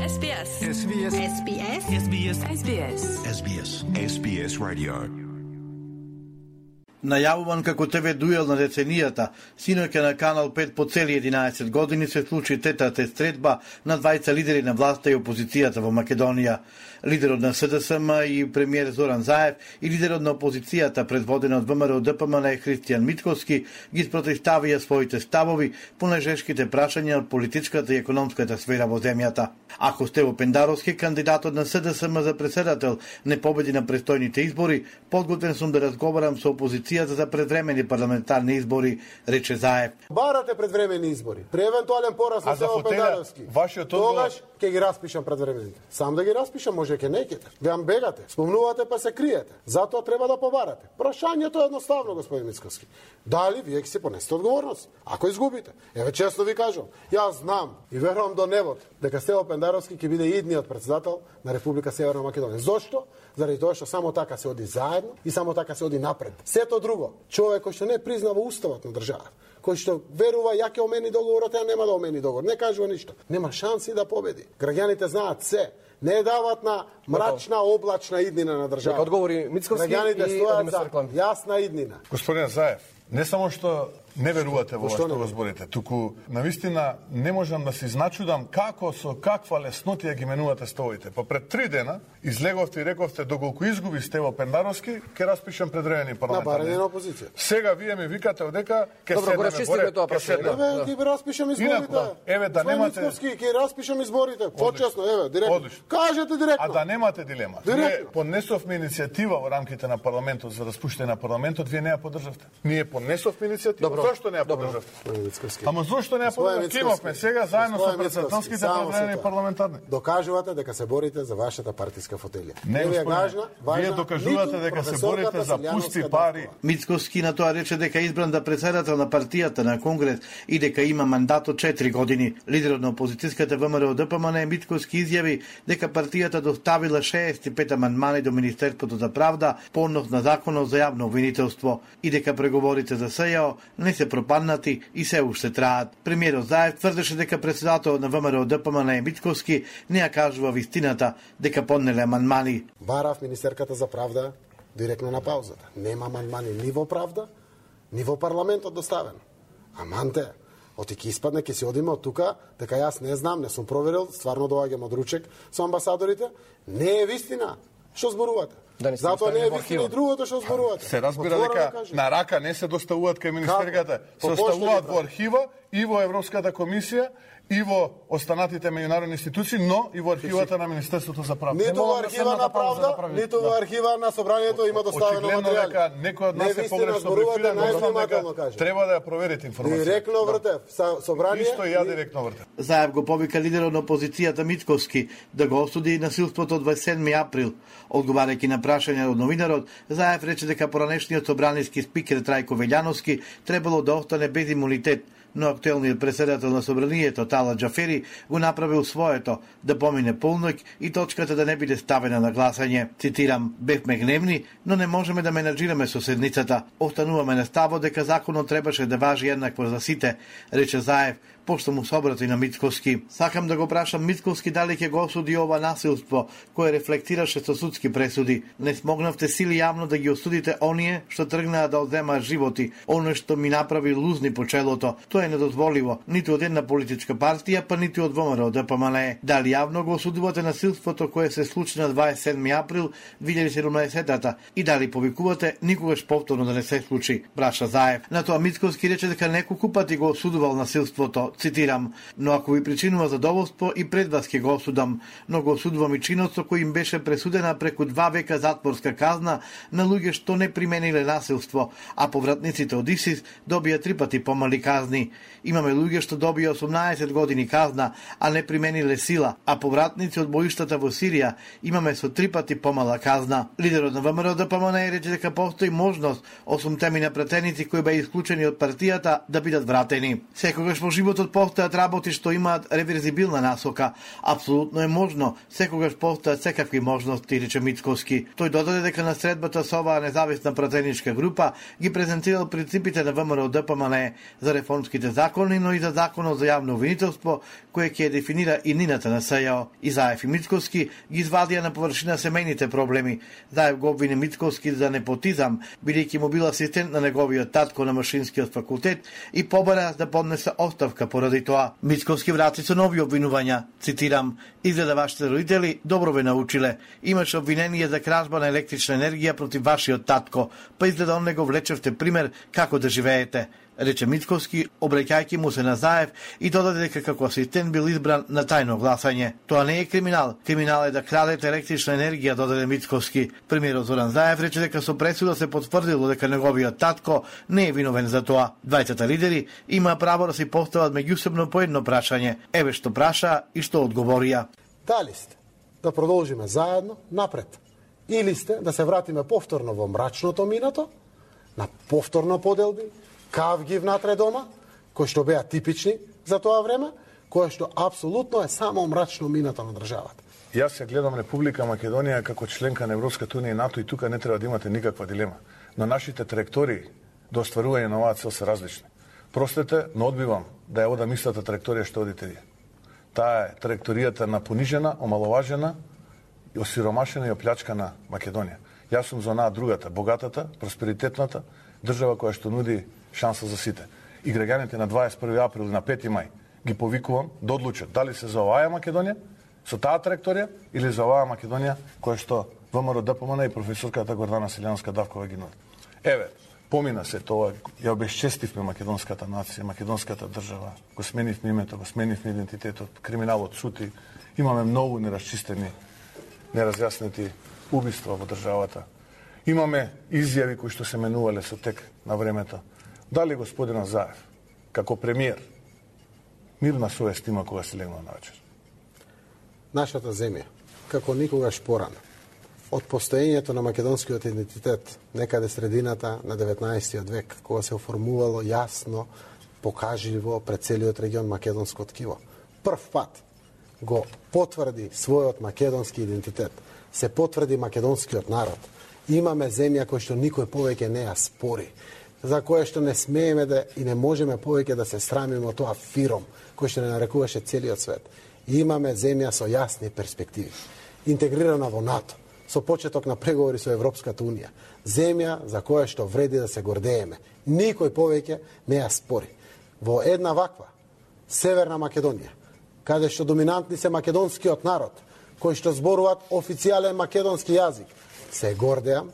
SBS. SBS. SBS. SBS. SBS. SBS. SBS Radio. Најавуван како ТВ дуел на деценијата, синоќа на Канал 5 по цели 11 години се случи тетата стретба на двајца лидери на власта и опозицијата во Македонија. Лидерот на СДСМ и премиер Зоран Заев и лидерот на опозицијата предводена од ВМРО ДПМН Христијан Митковски ги спротивставија своите ставови по нежешките прашања од политичката и економската сфера во земјата. Ако Стево Пендаровски, кандидатот на СДСМ за председател, не победи на престојните избори, подготвен сум да разговарам со опозицијата за предвремени парламентарни избори, рече Заев. Барате предвремени избори. При евентуален пораз на Стево Пендаровски. Тогаш ќе ги распишам предвремените. Сам да ги распишам, може ќе некете. Веам бегате, спомнувате па се криете. Затоа треба да побарате. Прашањето е едноставно, господин Мицковски. Дали вие ќе си понесете одговорност? Ако изгубите. Еве честно ви кажам, јас знам и верувам до небот дека Стево Пендаровски ќе биде идниот председател на Република Северна Македонија. Зошто? Заради тоа што само така се оди заедно и само така се оди напред. Сето друго, човек кој што не признава уставот на државата, кој што верува ја ќе омени договорот, а нема да омени договор, не кажува ништо, нема шанси да победи. Граѓаните знаат се, не дават на мрачна облачна иднина на државата. Нека одговори Мицковски Граѓаните и стојат за јасна иднина. Господин Заев, не само што не верувате во што го зборите, туку навистина не можам да се изначудам како со каква леснотија ги менувате ставовите. Па пред 3 дена излеговте и рековте доколку изгуби Стево Пендаровски, ќе распишам предвремени парламентарни. На барање на опозиција. Сега вие ми викате одека ќе Добро, го расчистиме тоа прашање. Еве ќе распишам изборите. Еве да немате ќе распишам изборите. Почесно, еве, директно. Кажете директно. А да немате дилема. Ние понесовме иницијатива во рамките на парламентот за распуштање на парламентот, вие не ја поддржавте. Ние понесовме иницијатива. Зошто не ја поддржавте? Ама зошто не ја поддржавте? Имавме сега заедно со председателските предвремени парламентарни. Докажувате дека се борите за вашата партиска фотелија. Не, вие докажувате дека се борите за пусти пари. Мицковски на тоа рече дека избран да председател на партијата на Конгрес и дека има мандат од 4 години. Лидерот на опозицијската ВМРО ДПМН Митковски изјави дека партијата доставила 65 амандмани до Министерството за правда по однос на законот за јавно обвинителство и дека преговорите за СЈО не се пропаднати и се уште траат. Премиерот Заев тврдеше дека председателот на ВМРО ДПМН Митковски не ја кажува вистината дека поднеле амандмани. Барав министерката за правда директно на паузата. Нема амандмани ни во правда, ни во парламентот доставен. Аманте, оти ќе испадне, ќе си одиме од тука, дека јас не знам, не сум проверил, стварно доаѓам од ручек со амбасадорите, не е вистина. Што зборувате? Затоа не е вистина и другото што зборувате. Се разбира дека на рака не се доставуваат кај министерката, се доставуваат во архива и во Европската комисија и во останатите меѓународни институции, но и во архивата на Министерството за правда. Ниту во архива на правда, ниту во архива на собранието има доставено материјали. Очигледно дека некој од нас е погрешно брифиран, треба да ја проверите информацијата. Директно вртев, собрание. Исто и ја директно вртев. Заев го повика лидерот на опозицијата Митковски да го осуди насилството од 27 април. Одговарајќи на прашање од новинарот, Заев рече дека поранешниот собраниски спикер Трајко Велјановски требало да остане без имунитет, но актуелниот председател на собранието Тала Џафери го направил своето да помине полноќ и точката да не биде ставена на гласање. Цитирам: "Бевме гневни, но не можеме да менаџираме со седницата. Остануваме на ставот дека законот требаше да важи еднакво за сите", рече Заев, пошто му се обрати на Митковски. Сакам да го прашам Митковски дали ќе го осуди ова насилство кое рефлектираше со судски пресуди. Не смогнавте сили јавно да ги осудите оние што тргнаа да одземаат животи, оно што ми направи лузни по челото. Тоа е недозволиво, ниту од една политичка партија, па ниту од ВМРО ДПМН. Дали јавно го осудувате насилството кое се случи на 27 април 2017 и дали повикувате никогаш повторно да не се случи, праша Заев. На тоа Митковски рече дека неколку пати го осудувал насилството. Цитирам: "Но ако ви причинува задоволство и пред вас ќе го осудам, но го осудувам и чинот со кој им беше пресудена преку 2 века затворска казна на луѓе што не примениле насилство, а повратниците од ИСИС добија 3 пати помали казни. Имаме луѓе што добија 18 години казна, а не примениле сила, а повратници од боиштата во Сирија имаме со 3 пати помала казна." Лидерот на ВМРО ДПМН рече дека постои можност 8 на пратеници кои беа исклучени од партијата да бидат вратени. Секогаш во животот постојат работи што имаат реверзибилна насока. Апсолутно е можно, секогаш постојат секакви можности, рече Митковски. Тој додаде дека на средбата со оваа независна пратеничка група ги презентирал принципите на ВМРО ДПМН за реформските закони, но и за законот за јавно обвинителство, кој ќе дефинира и нината на СЈО. И Заев и Мицковски ги извадија на површина семејните проблеми. Заев го обвини Мицковски за непотизам, бидејќи му бил асистент на неговиот татко на машинскиот факултет и побара да поднесе оставка поради тоа. Мицковски врати со нови обвинувања. Цитирам: "Изгледа вашите родители добро ве научиле. Имаше обвинение за кражба на електрична енергија против вашиот татко, па изгледа он не го влечевте пример како да живеете", рече Мицковски, обраќајќи му се на Заев и додаде дека како асистент бил избран на тајно гласање. Тоа не е криминал. Криминал е да крадете електрична енергија, додаде Мицковски. Премиерот Зоран Заев рече дека со пресуда се потврдило дека неговиот татко не е виновен за тоа. Двајцата лидери има право да си постават меѓусебно по едно прашање. Еве што праша и што одговорија. Дали сте да продолжиме заедно напред? Или сте да се вратиме повторно во мрачното минато, на повторно поделби, кавги внатре дома, кои што беа типични за тоа време, кое што апсолутно е само мрачно минато на државата. Јас се гледам Република Македонија како членка на Европската унија и НАТО и тука не треба да имате никаква дилема. Но нашите траектории до остварување на оваа цел се различни. Простете, но одбивам да ја одам истата траекторија што одите вие. Таа е траекторијата на понижена, омаловажена, осиромашена и оплячкана Македонија. Јас сум за онаа другата, богатата, просперитетната држава која што нуди шанса за сите. И граѓаните на 21 април и на 5 мај ги повикувам да одлучат дали се за оваа Македонија, со таа траекторија, или за оваа Македонија која што ВМРО ДПМН и професорката Гордана Селјанска-Давкова ги нуди. Еве, помина се тоа, ја обесчестивме македонската нација, македонската држава, го сменивме името, го сменивме идентитетот, криминалот сути, имаме многу нерасчистени, неразјаснети убиства во државата. Имаме изјави кои што се менувале со тек на времето. Дали господинот Заев, како премиер, мирна совест има кога се легнал на вечер? Нашата земја, како никогаш порано, од постоењето на македонскиот идентитет, некаде средината на 19 век, кога се оформувало јасно, покажливо пред целиот регион македонско ткиво, прв пат го потврди својот македонски идентитет, се потврди македонскиот народ. Имаме земја која што никој повеќе не ја спори, за која што не смееме да и не можеме повеќе да се срамиме од тоа фиром кој што не нарекуваше целиот свет. Имаме земја со јасни перспективи, интегрирана во НАТО, со почеток на преговори со Европската унија. Земја за која што вреди да се гордееме. Никој повеќе не ја спори. Во една ваква Северна Македонија, каде што доминантни се македонскиот народ, кои што зборуваат официјален македонски јазик, се гордеам,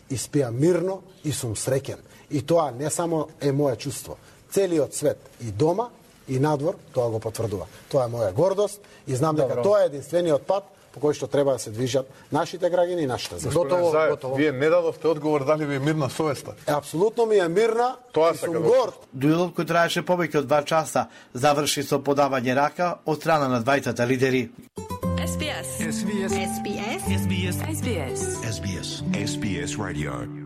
испијам мирно и сум среќен. И тоа не само е моје чувство. Целиот свет, и дома, и надвор, тоа го потврдува. Тоа е моја гордост и знам дека тоа е единствениот пат по кој што треба да се движат нашите граѓани и нашата земја. Готово. Вие не дадовте одговор дали ви е мирна совеста. Апсолутно ми е мирна и сум горд. Дуелот кој траеше повеќе од 2 часа заврши со подавање рака од страна на двајцата лидери. SBS Radio